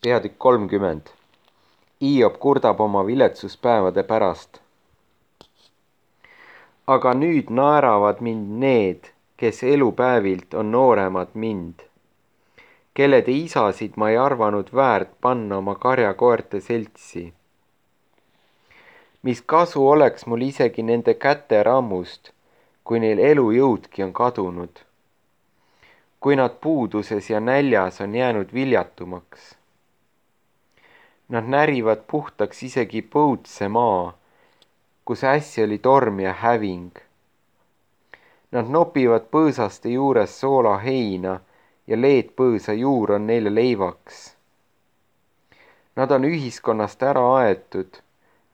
Peatükk 30. Hiob kurdab oma viletsuspäevade pärast. Aga nüüd naeravad mind need, kes elupäevilt on nooremad mind, kellede isasid ma ei arvanud väärt panna oma karjakoerte seltsi. Mis kasu oleks mul isegi nende käte rammust, kui neil elujõudki on kadunud, kui nad puuduses ja näljas on jäänud viljatumaks. Nad närivad puhtaks isegi põudse maa, kus äsja oli torm ja häving. Nad nopivad põõsaste juures soola heina ja leedpõõsa juur on neile leivaks. Nad on ühiskonnast ära aetud,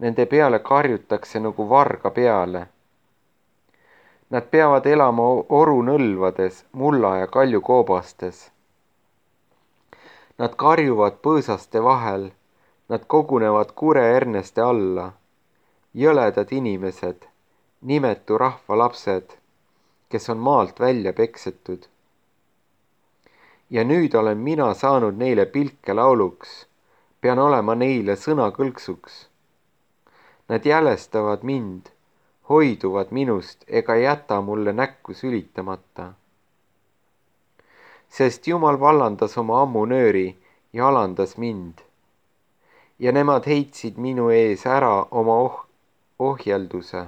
nende peale karjutakse nagu varga peale. Nad peavad elama orunõlvades, mulla ja kaljukoobastes. Nad karjuvad põõsaste vahel, nad kogunevad kureerneste alla, jõledad inimesed, nimetu rahva lapsed, kes on maalt välja peksetud. Ja nüüd olen mina saanud neile pilkelauluks, pean olema neile sõnakõlksuks. Nad jälestavad mind, hoiduvad minust ega jäta mulle näkku sülitamata. Sest Jumal vallandas oma ammunööri ja alandas mind. Ja nemad heitsid minu ees ära oma ohjelduse.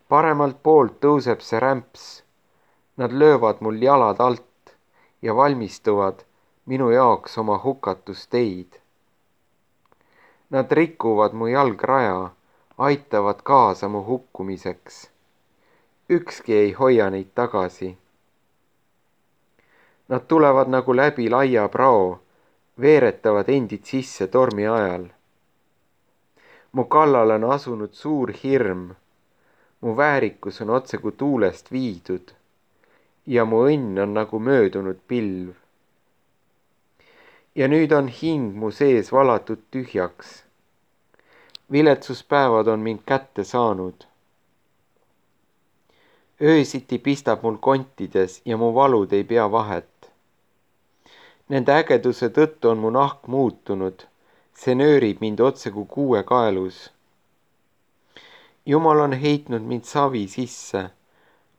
Paremalt poolt tõuseb see rämps, nad löövad mul jalad alt ja valmistuvad minu jaoks oma hukatusteid. Nad rikuvad mu jalgraja, aitavad kaasa mu hukkumiseks. Ükski ei hoia neid tagasi. Nad tulevad nagu läbi laia prao, veeretavad endid sisse tormi ajal. Mu kallal on asunud suur hirm, mu väärikus on otse kui tuulest viidud ja mu õnn on nagu möödunud pilv. Ja nüüd on hing mu sees valatud tühjaks. Viletsuspäevad on mind kätte saanud. Öösiti pistab mul kontides ja mu valud ei pea vahet. Nende ägeduse tõttu on mu nahk muutunud, see nöörib mind otse kui kuue kaelus. Jumal on heitnud mind savi sisse,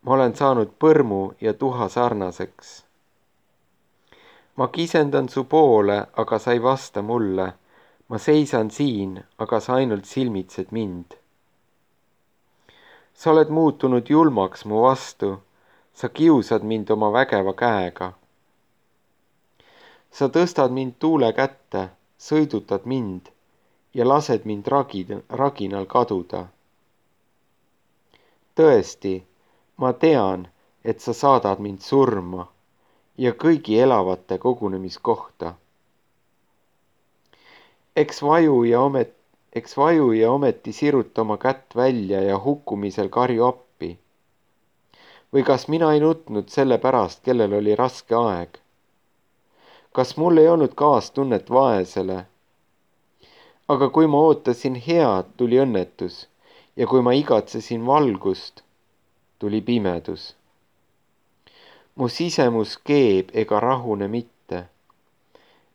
ma olen saanud põrmu ja tuha sarnaseks. Ma kisendan su poole, aga sa ei vasta mulle, ma seisan siin, aga sa ainult silmitsed mind. Sa oled muutunud julmaks mu vastu, sa kiusad mind oma vägeva käega. Sa tõstad mind tuule kätte, sõidutad mind ja lased mind raginal kaduda. Tõesti, ma tean, et sa saadad mind surma ja kõigi elavate kogunemiskohta. Eks vaju ja ometi siruta oma kätt välja ja hukkumisel karju appi. Või kas mina ei nutnud selle pärast, kellel oli raske aeg? Kas mul ei olnud kaastunnet vaesele? Aga kui ma ootasin head, tuli õnnetus ja kui ma igatsesin valgust, tuli pimedus. Mu sisemus keeb ega rahune mitte.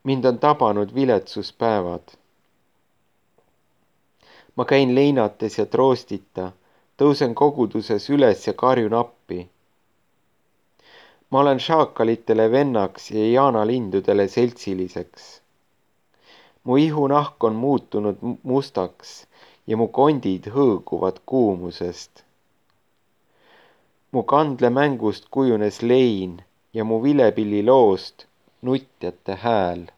Mind on tabanud viletsuspäevad. Ma käin leinates ja troostita, tõusen koguduses üles ja karjun appi. Ma olen šaakalitele vennaks ja jaanalindudele seltsiliseks. Mu ihunahk on muutunud mustaks ja mu kondid hõõguvad kuumusest. Mu kandlemängust kujunes lein ja mu vilepilliloost nutjate hääl.